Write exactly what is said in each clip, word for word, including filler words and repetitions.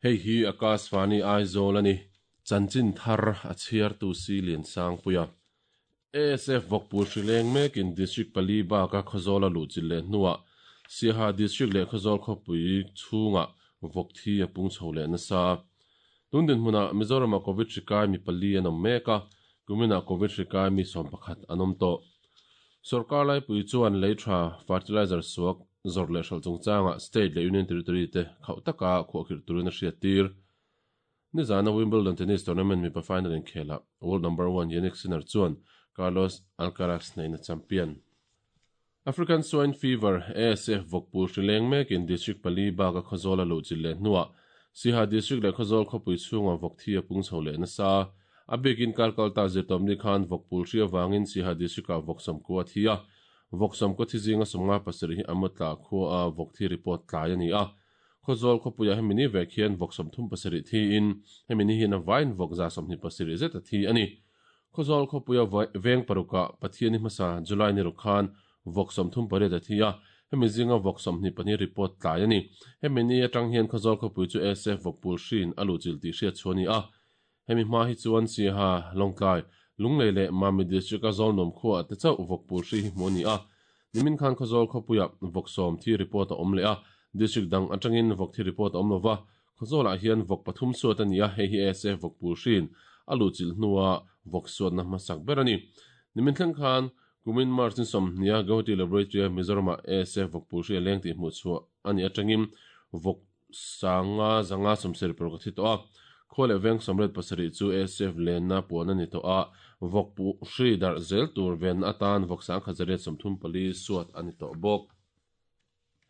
Hei hi Akashvani Aizawl ani. Chanchin thar a chhiar tu si lian sang puia. A S F Vawkpur Hrileng mekin District pali baka Khawzawl a luh chilh leh hnuah Siaha District leh Khawzawl khawpui chhunga vawk thi a pung chho leh nasa. Tun dinhmunah Mizorama Covid hri kai mi pali an awm mek a, kuminah Covid hri kai mi sawm pakhat an awm tawh. Sorkar laipui chuan lei tha fertilizer suak zawrh leh hralh chungchangah state leh union territory te khauh taka khuahkhirh turin a hriat tir. Nizana Wimbledon tennis tournament mipa final inkhelah world number one Jannik Sinner chuan Carlos Alcaraz hneihna champion. African Swine Fever, A S F vawkpul hrileng mekin district pali baka Khawzawl a luh chilh leh hnuah Siaha district leh Khawzawl khawpui chhunga vawk thi a pung chho leh nasa. A bikin kalkalta zirtawmni khan vawkpul hri avangin Siaha district ah vawk sawmkua a thi a. Vawk sawmkua thi zinga sawmnga pasarih hi amawtla khua a vawk thi report tlai a ni a. Khawzawl khawpuiah hemi ni vek hian vawk sawmthum pasarih thiin hemi ni hian a vain vawk za sawmhnih pasarih zet a thi a ni. Khawzawl khawpuia veng parukah Pathiani hmasa July ni ruk khan vawk sawmthum pariat a thi a, hemi zinga vawk sawmhnih pahnih report tlai a ni. Hemi ni atang hian Khawzawl khawpui chu A S F vawkpul hriin a luh chilh tih hriat chhuah a ni a. Hemi hma hi chuan Siaha, Lawngtlai, Lunglei leh Mami district a Zawlnuam khuaah te chauh vawkpul hri hi hmuh a ni a. Nimin khan Khawzawl khawpuiah vawk sawm thi report a awm leh a, district dang atangin vawk thi report a awm lova. Khawzawlah hian vawk pathum suat a ni a, hei hi A S F vawkpul hriin a luh chilh hnua vawk suatna hmasak ber a ni. Nimin thleng khan kumin March ni sawmhnia Guwahati Laboratory a Mizorama A S F vawkpul hri a leng tih hmuh chhuah a ni atangin vawk sanga zanga sawmsarih paruk a thi tawh a. Khaw leh veng sawmriat pasarih chu A S F lenna puan a ni tawh a, vawkpu hri darh zel tur venna atan vawk sang khat zariat sawmthum pali suat a ni tawh bawk.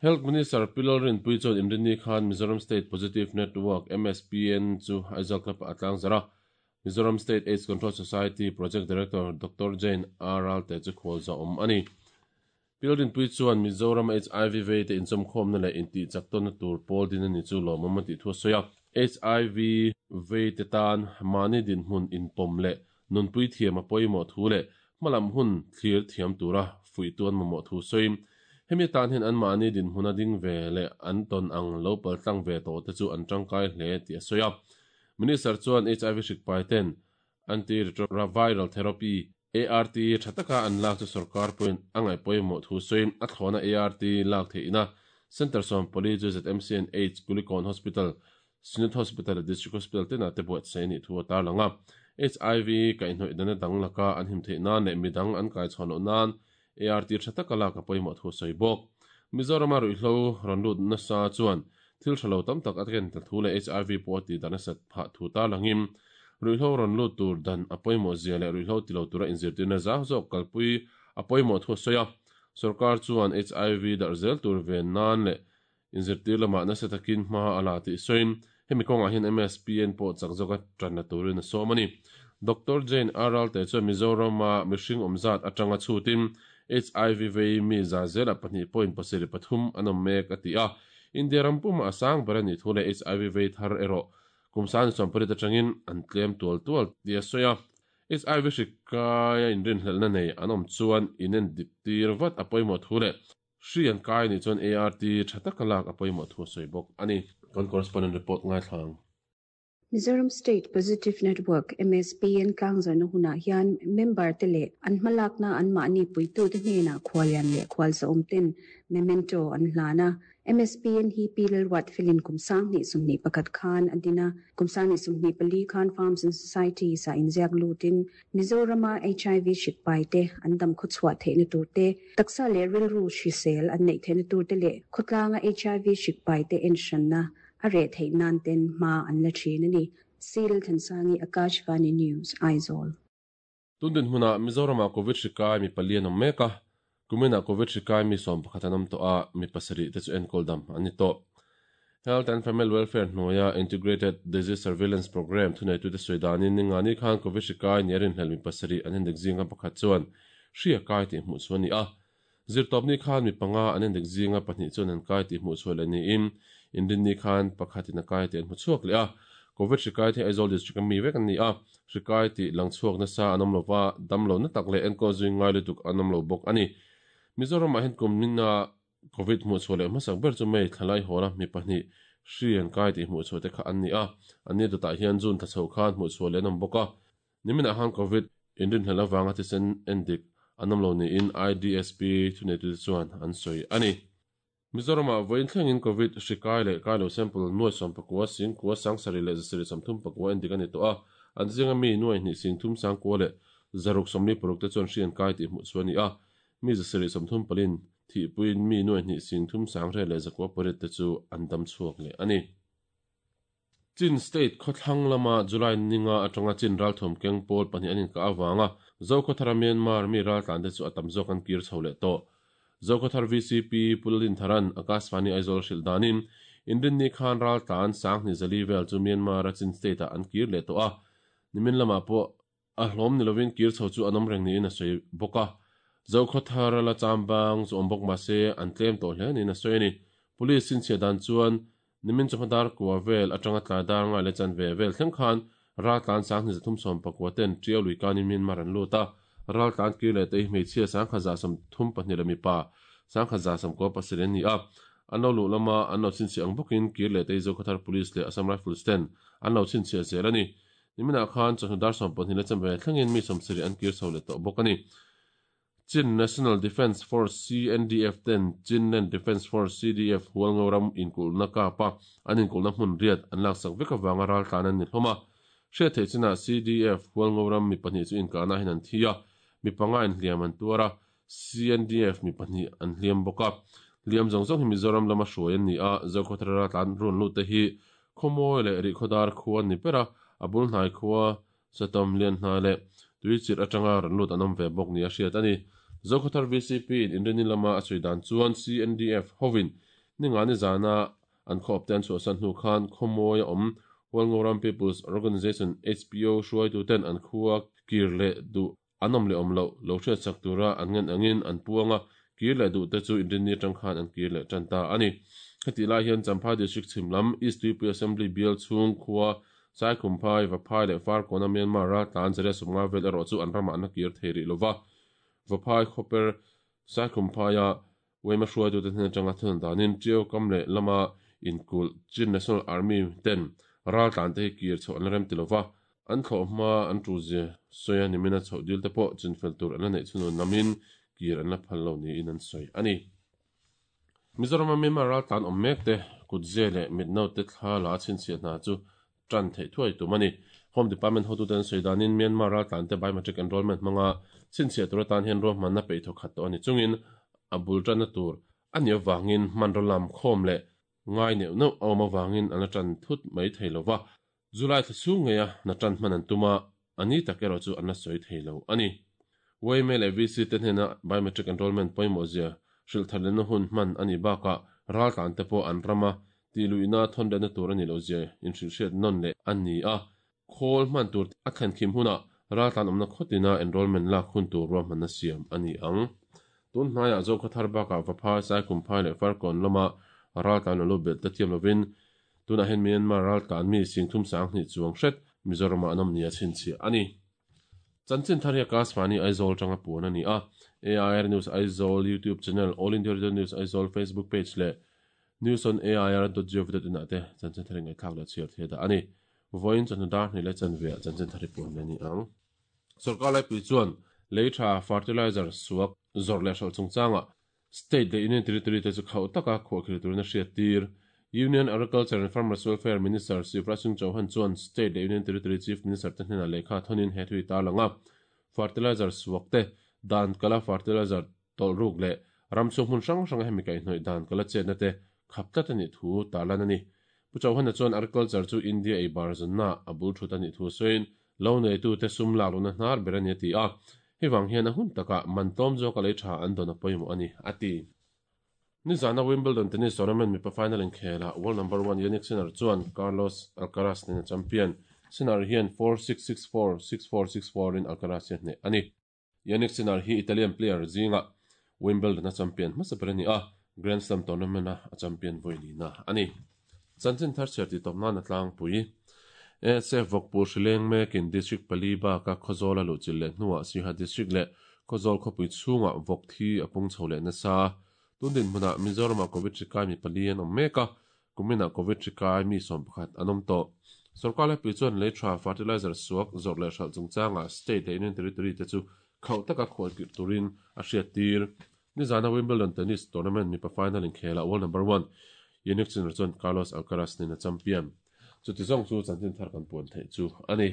Health Minister Pilal Rinpui chuan Inrinni khan Mizoram State Positive Network M S P N chu Aizawl Club ah a tlang zarh a. Mizoram State AIDS Control Society Project Director Doctor Jane R. Ralte chu khawl za awm a ni. Pilal Rinpui chuan Mizoram H I V vei te inchawmkhawmna leh intih chak tawnna tur pawl din a ni chu lawmawm a tih thu a sawi a. H I V vei te tan mahni dinhmun inpawm leh nunpui thiam a pawimawh thu leh hmalam hun thlir thiam tura fuih tuan mamawh thu sawi. Hemi tan hian an mahni dinhmun a ding ve leh an tawn ang lo pal tlang ve tawh te chu an tangkai hle tih a sawi a. Minister chuan H I V hrikpai ten antiretroviral therapy A R T tha taka an lak chu sarkar pawhin a ngaih pawimawh thu sawi. A thlawna A R T lak theihna Center sawm pali chu Z M C N H Kulikawn Hospital, Synod Hospital leh District Hospital tenah te buatsaih a nih thu a tarlang a. H I V kaihhnawih dana dang laka an him theih nan leh midang an kai chhuah loh nan A R T tha taka lak a pawimawh thu sawi bawk. Mizorama ruihhlo rawn lut nasa chuan thil tha lo tam tak a ken ta thu leh H I V pawh a tih dan a sat phah thu tarlangin ruihhlo rawn lut tur dan a pawimawh zia leh ruihhlo ti lo tura inzirtirna zau zawk kalpui a pawimawh thu a sawi a. Sarkar chuan H I V darh zel tur ven nan leh inzirtir lamah nasa takin hma a la tih sawiin hemi kawngah hian M S P N pawh chak zawka tanna turin a sawm a ni. Doctor Jane R. Ralte chuan Mizorama mihring awmzat atanga chhutin H I V vei mi za zela pahnih point pasarih pathum an awm mek a ti a. India ram puma a sang ber a nih thu leh H I V vei thar erawh kum sang sawmparit atangin an tlem tual tual ti a sawi a. H I V hrikai a inrinhlelhna nei an awm chuan inen dik tir vat a pawimawh thu leh hri an kai nih chuan A R T tha taka lak a pawimawh thu a sawi bawk a ni. Kan correspondent report ngai thlang. Mizoram State Positive Network M S P N tlangzarna hunah hian member te leh an hmalakna an mahni puitu te hnenah khualian leh khual zawm ten memento an hlana. M S P N hi Pilal Wat Filin kumsang ni sumni pakhat khan adina kumsang ni sumni pali khan Farms and Society sa inziak lutin Mizorama H I V shikpai te andam khuchwa theina tur te taksa le rilru hrisel an nei theina tur te le khotlanga H I V shikpai te enshanna a re thei nan ten ma an la thin ani. Sil Thansangi, Akashvani News, Aizawl. Tundin hmuna Mizorama Covid hrikai mi pali an awm mek a. Kumina Covid hrikai mi sawm pakhat an awm tawh a, mi pasarih te chu enkawl dam an ni tawh. Health and Family Welfare hnuaia Integrated Disease Surveillance Program thuneitu te sawi danin ningani khan Covid hrikai ni a rinhlelh mi pasarih an indik zinga pakhat chuan hri a kai tih hmuh chu a ni a. Zirtawpni khan mi panga an indik zinga pahnih chuan an kai tih hmuh chhuah leh niin Inrinni khan pakhatin a kai tih an hmu chhuak leh a. Covid hrikai te Aizawl district a mi vek an ni a. Hrikai tih lang chhuak nasa an awm lova, dam lo na tak leh enkawl zui ngai lutuk an awm lo bawk a ni. Mizoramah hian kum nina Covid hmuh chhuah leh hmasak ber chu May thlalai hawla mi pahnih Hri an kai ti hmuh chhuah te kha an ni a an ni dawtah hian June thla chho khan hmuh chhuah leh an awm bawk a nimina han COVID inrin hlel awanga thisen endik an awm lo niin I D S P thuneitu te chuan an sawi ani. Mizoram ah vawiin thlengin COVID hri kai leh kai lo sample nuai sawm pakua sing kua sang sarih leh zasarih sawmthum pakua endik ani tawh a an zinga mi nuai hnih sing thum sang kua leh zaruk sawmli paruk te chuan hri an kai ti hmuh chhuah ani a mi zasarih sawmthum palin thi puin mi nuai hnih sing thum sang re leh zakua pariat te chu an dam chhuak leh ani. Chin State khawthlang lama July ninga atanga Chin ral thawm keng pawl pahnih an inkah awanga Zokhawthara Myanmar mi ral tlan te chu a tam zawk an kir chho leh tawh. Zokhawthar V C P Pulin Tharan Akashvani Aizawl hrilh danin Inrinni khan ral tlan sanghni zali vel chu Myanmar a Chin State ah an kir leh tawh a nimin lamah pawh a hlawm ni lovin kir chho chu an awm reng niin a sawi bawk a. Zokhawthar la chambang chu awm bawk mahse an tlem tawh hle niin a sawi ani. Police sin chhiah dan chuan nimin chawhmadar kua vel atanga tlai dar ngai leh chan ve vel thleng khan ral tlan sanghni zathum sawm pakua ten Tiau lui kanin Myanmar an lut a ral tlan kir leh te hi hmeichhia sangkhat za sawm thum pahnih leh mipa sangkhat za sawm kua pasarih an ni a an lo luh lama an lo chhinchhiah ang bawkin kir leh te hi Zokhawthar Police leh Assam Rifles ten an lo chhinchhiah zel ani. Niminah khan chawhnu dar sawm pahnih leh chan ve thlengin mi sawm sarih an kir chho leh tawh bawk ani. Chin National Defence Force C N D F ten Chinland Defence Force C D F hualngo ram inkulhna kapa an inkulhna hmun riat an laksak vek awanga ral tlan an ni hlawm a hriat theih chinah C D F hualngo ram mi pahnih chu inkahna hian an thi a mi panga in hliam an tuar a C N D F mi pahnih an hliam bawk a hliam zawng zawng hi Mizoram lama hruai an ni a Zokhawthar ral tlan run lut te hi khawmawi leh rih khawdar khu an ni ber a a bul hnai khua satom lian hna leh tui chirh atanga ran lut an awm ve bawk ni a hriat ani. Zokhawthar V C P in Inrinni lama a sawi dan chuan C N D F hovin ninga ni zana an khawp te an chhuahsan hnu khan khawmawi a awm Hualngoram People's Organization H P O hruaitu ten an khua kir leh duh an awm leh awm lo lo hriat sak tura an ngen angin an puanga kir leh duh te chu Inrinni atang khan an kir leh tan ta ani. Heti lai hian Champhai District chhim lam East Tuipui Assembly bial chhung khua Saikhumphai Vaphai leh Farkawna Myanmar ral tlan zariat sawmnga vel erawh chu an ramah an la kir thei rih lova Vaphai khawper Saikhumphai a Wema hruaitu te hnen atanga thun danin Tiau kam leh lama inkul Chin National Army ten ral tlan te hi kir chho an la rem ti lova an thlawh hma an tu zia sawi a nimina chhoh dil te pawh chinfel tur an la neih chhunun lamin kir an la phal lo niin an sawi ani. Mizoram Myanmar ral tlan awm mek te kutze leh mitno te thla la chhinchhiah hna chu tan theih thuai tum ani. Home Department hotu ten sawi danin Myanmar ral tlan te biometric enrollment hmanga chhinchhiah tur atan hian ruahmanna peih thawk khat tawh ani chungin a bul tanna tur ani awangin hman ro lam khawm leh ngai neuh neuh a awm awangin an la tan thut mai thei lova July thla chhung ngei a na tan hman an tuma ani tak erawh chu an la sawi thei lo ani. Wayme leh V C te hnena biometric enrollment pawimawh zia hrilh thar lehna hun hman ani bakah ral tlan te pawh an rama ti luihna thawn lehna tur ani lo zia inhrilh hriat nawn leh an ni a khawl hman tur a thlen khim hunah ral tlan awmna khawtina enrollment lak hun tur ruahmanna siam ani ang. Tun hnaiah Zokhawthar bakah Vaphai Saikhumphai leh Farkawn lama ral tlan lo bel te thiam lovin tunah hian Myanmar ral tlan mi singthum sang hnih chuang hret Mizoramah an awm ni a chhinchhiah ani. Chanchin thar hi Akashvani Aizawl tanga puan ani a A I R News Aizawl YouTube channel All India Radio News Aizawl Facebook page leh news on A I R dot gov dot in ah te chanchin thar ngai thlak leh chhiar thei dah ani. Vawiin chawhnu dar hnih leh chanve ah chanchin thar hi puan leh ani ang. Sarkar laipui chuan leitha fertilizer suak zawrh leh hralh chungchanga state leh union territory te chu khauh taka khuah khir turin a hriat tir. Union Agriculture and Farmers Welfare Minister Shivraj Singh Chauhan chuan state leh union territory chief minister te hnenah lehkha thonin he thui ta langa fertilizer suak te dan kala fertilizer tawlh ruk leh ram chhung hmun hrang hrang hemi kaihhnawih dan kala chetna te khap tlat ani thu tarlan ani. Pu Chauhan chuan agriculture chu India ei bar zanna a bul thut ani thu sawiin lo nei tu te sum lak luna hnar ber ani a ti a hewang hian a hun taka man tlawm zawk a lei tha an dawn a pawimawh ani a ti. Ni zana Wimbledon tennis tournament mipa final in khela world number one Jannik Sinner chuan Carlos Alcaraz nen a champion Sinner hian four six six four six four six four in Alcaraz hi a hneh ani. Jannik Sinner hi Italian player zinga Wimbledon a champion hmasa ber ani a Grand Slam tournament a champion vawi ani. Chanchin thar chhiar ti tawp nan a tlangpui A S F Vawkpur hrileng mekin District pali baka Khawzawl a luh chilh leh hnuah Siaha District leh Khawzawl khawpui chhungah vawk thi a pung chho leh nasa. Tun din hmunah Mizoramah COVID hri kai mi pali an awm mek a Kumina covid hri kai mi sawm pakhat an awm tawh. Sorkar laipui chuan lei tha fertilizer suak zawrh leh hralh chungchangah state leh union territory te chu khauh taka khualkirh turin a hriat tir. Nizana Wimbledon tennis tournament mipa final inkhela world number one Jannik Sinner chuan Carlos Alcaraz nen a champion. Chuti zawng chu chanchin thar kan puan theih chu a ni.